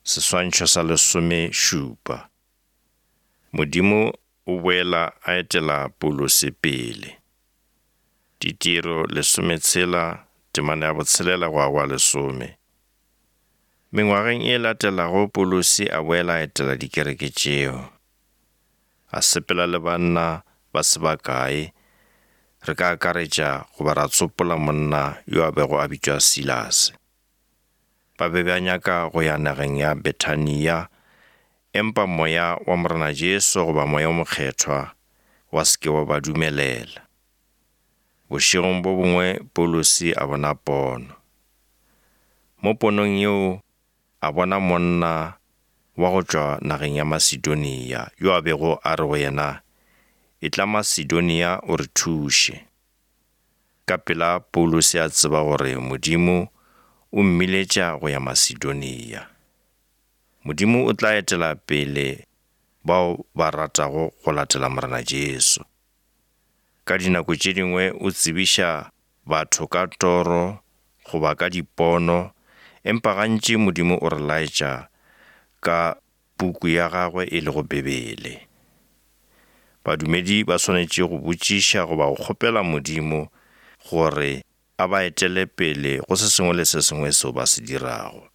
Seswantšho sa lesomešupa. Modimo o boela a etela Paulose pele. Ditiro lesometshela, temana ya botshelela go ya go ya lesome. Mengwageng e latelago Paulose a boela a etela dikereke tšeo. A sepela le banna ba se bakae, re ka akaretša goba ra tsopola monna yo a bego a bitšwa Silase. Ba be ba nyaka go ya nageng ya Bethania, empa Moya wa Morena Jesu goba Moya o Mokgethwa wa se ke wa ba dumelela. Bošegong bo bongwe Paulose a bona pono. Mo ponong yeo a bona monna wa go tšwa nageng ya Masedonia yo a bego a re go yena, Etla Masedonia o re thuše. Ka pela Paulose a tseba gore Modimo o mmiletša go ya Masedonia. Modimo o tla etela pele bao ba ratago go latela Morena Jesu. Ka dinako tše dingwe o tsebiša batho ka toro goba ka dipono, empa gantši Modimo o re laetša ka puku ya gagwe e lego Bibele. Badumedi ba swanetše go botšiša goba go kgopela Modimo gore a ba etele pele go se sengwe le se sengwe seo ba se dirago.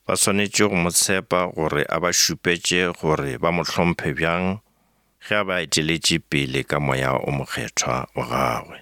Ba swanetše go mo tshepa gore a ba šupetše gore ba mo hlomphe bjang ge a ba eteletše pele ka moya o mokgethwa wa gagwe.